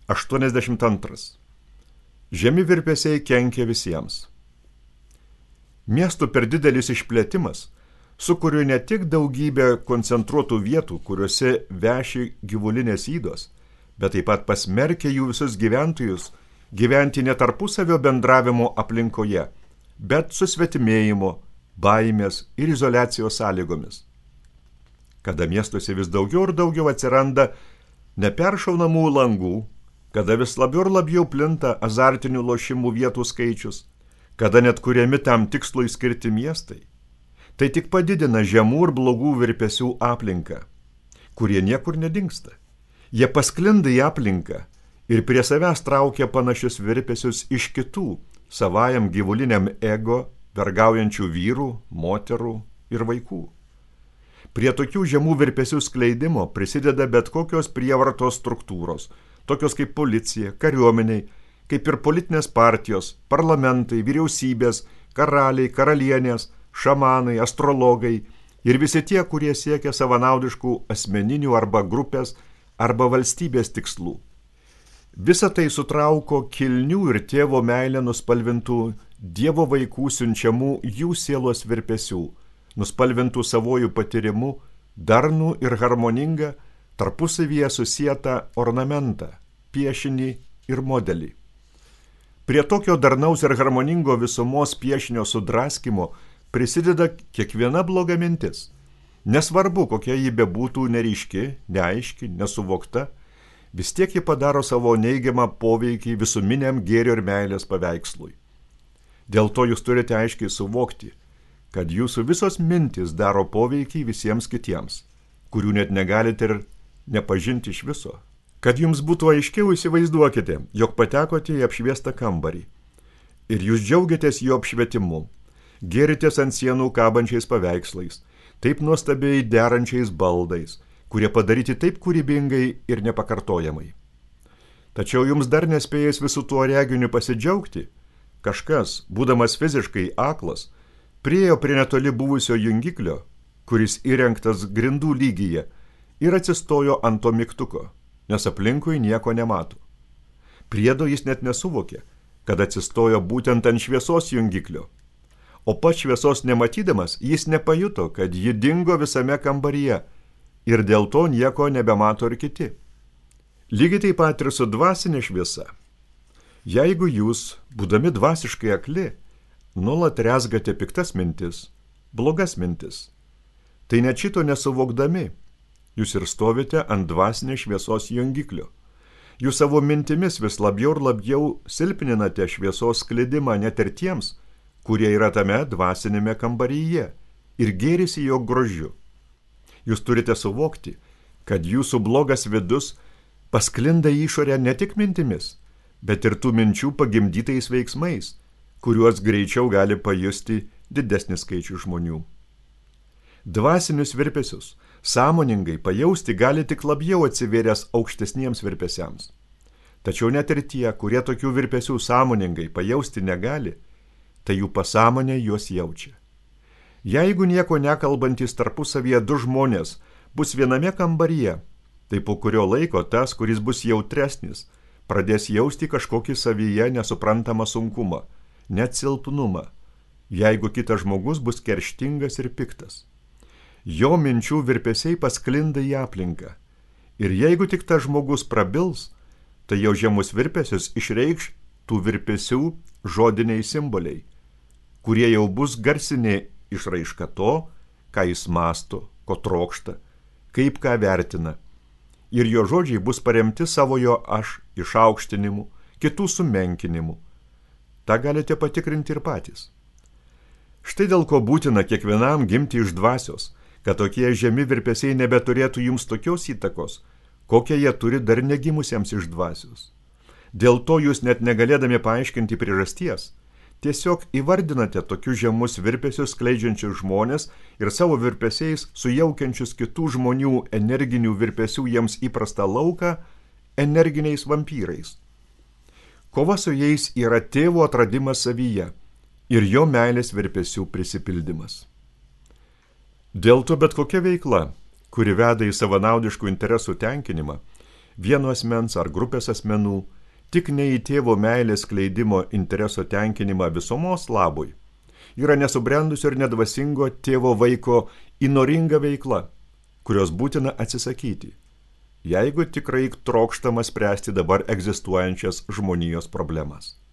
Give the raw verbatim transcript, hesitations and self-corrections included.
aštuoniasdešimt antras. Žemi virpesiai kenkia visiems. Miestų per didelis išplėtimas sukuria ne tik daugybę koncentruotų vietų, kuriuose veši gyvulinės ydos, bet taip pat pasmerkia jų visus gyventojus gyventi ne tarpusavio bendravimo aplinkoje, bet susvetimėjimo, baimės ir izoliacijos sąlygomis. Kada miestuose vis daugiau ir daugiau atsiranda neperšaunamų langų, kada vis labiau ir labiau plinta azartinių lošimų vietų skaičius, kada net kuriami tam tikslui skirti miestai, tai tik padidina žemų ir blogų virpesių aplinką, kurie niekur nedingsta. Jie pasklinda į aplinką ir prie savęs traukia panašius virpesius iš kitų, savajam gyvuliniam ego, vergaujančių vyrų, moterų ir vaikų. Prie tokių žemų virpesių skleidimo prisideda bet kokios prievartos struktūros, tokios kaip policija, kariuomeniai, kaip ir politinės partijos, parlamentai, vyriausybės, karaliai, karalienės, šamanai, astrologai ir visi tie, kurie siekia savanaudiškų asmeninių arba grupės arba valstybės tikslų. Visa tai sutrauko kilnių ir tėvo meilę nuspalvintų Dievo vaikų siunčiamų jų sielos virpesių, nuspalvintų savojų patyrimų, darnų ir harmoningą, tarpusavyje susietą ornamentą, piešinį ir modelį. Prie tokio darnaus ir harmoningo visumos piešinio sudraskimo prisideda kiekviena bloga mintis. Nesvarbu, kokia ji bebūtų neryški, neaiški, nesuvokta, vis tiek ji padaro savo neigiamą poveikį visuminiam gėrio ir meilės paveikslui. Dėl to jūs turite aiškiai suvokti, kad jūsų visos mintys daro poveikį visiems kitiems, kurių net negalite ir nepažinti iš viso. Kad jums būtų aiškiau, įsivaizduokite, jog patekote į apšviestą kambarį ir jūs džiaugiatės jo apšvietimu, gėritės ant sienų kabančiais paveikslais, taip nuostabiai derančiais baldais, kurie padaryti taip kūrybingai ir nepakartojamai. Tačiau jums dar nespėjęs visų tuo reginiu pasidžiaugti, kažkas, būdamas fiziškai aklas, priėjo prie netoli buvusio jungiklio, kuris įrengtas grindų lygyje, ir atsistojo ant to mygtuko, nes aplinkui nieko nemato. Priedo jis net nesuvokė, kad atsistojo būtent ant šviesos jungiklio, o pats šviesos nematydamas jis nepajuto, kad ji dingo visame kambaryje ir dėl to nieko nebemato ir kiti. Lygiai taip pat ir su dvasinė šviesa. Jeigu jūs, būdami dvasiškai akli, nuolat rezgate piktas mintis, blogas mintis, tai net šito nesuvokdami, jūs ir stovite ant dvasinės šviesos jungiklio. Jūs savo mintimis vis labiau ir labiau silpninate šviesos sklidimą net ir tiems, kurie yra tame dvasinėme kambaryje ir gėrisi jo grožiu. Jūs turite suvokti, kad jūsų blogas vidus pasklinda į išorę ne tik mintimis, bet ir tų minčių pagimdytais veiksmais, kuriuos greičiau gali pajusti didesnis skaičius žmonių. Dvasinius virpesius sąmoningai pajausti gali tik labiau atsivėręs aukštesniems virpesiams. Tačiau net ir tie, kurie tokių virpesių sąmoningai pajausti negali, tai jų pasąmonė juos jaučia. Jeigu nieko nekalbantys tarpusavyje du žmonės bus viename kambaryje, tai po kurio laiko tas, kuris bus jautresnis, pradės jausti kažkokį savyje nesuprantamą sunkumą, net silpnumą, jeigu kitas žmogus bus kerštingas ir piktas. Jo minčių virpesiai pasklinda į aplinką. Ir jeigu tik tas žmogus prabils, tai jau žemus virpesius išreikš tų virpesių žodiniai simboliai, kurie jau bus garsinė išraiška to, ką jis mąsto, ko trokšta, kaip ką vertina. Ir jo žodžiai bus paremti savojo aš išaukštinimu, kitų sumenkinimu. Ta galite patikrinti ir patys. Štai dėl ko būtina kiekvienam gimti iš dvasios, kad tokie žemi virpesiai nebeturėtų jums tokios įtakos, kokią jie turi dar negimusiems iš dvasios. Dėl to jūs net negalėdami paaiškinti priežasties, tiesiog įvardinate tokius žemus virpesius skleidžiančius žmonės ir savo virpesiais sujaukiančius kitų žmonių energinių virpesių jiems įprastą lauką energiniais vampyrais. Kova su jais yra tėvo atradimas savyje ir jo meilės virpesių prisipildymas. Dėl to bet kokia veikla, kuri veda į savanaudiškų interesų tenkinimą, vieno asmens ar grupės asmenų, tik ne į tėvo meilės skleidimo intereso tenkinimą visumos labui, yra nesubrendusio ir nedvasingo tėvo vaiko įnoringa veikla, kurios būtina atsisakyti, jeigu tikrai trokštama spręsti dabar egzistuojančias žmonijos problemas.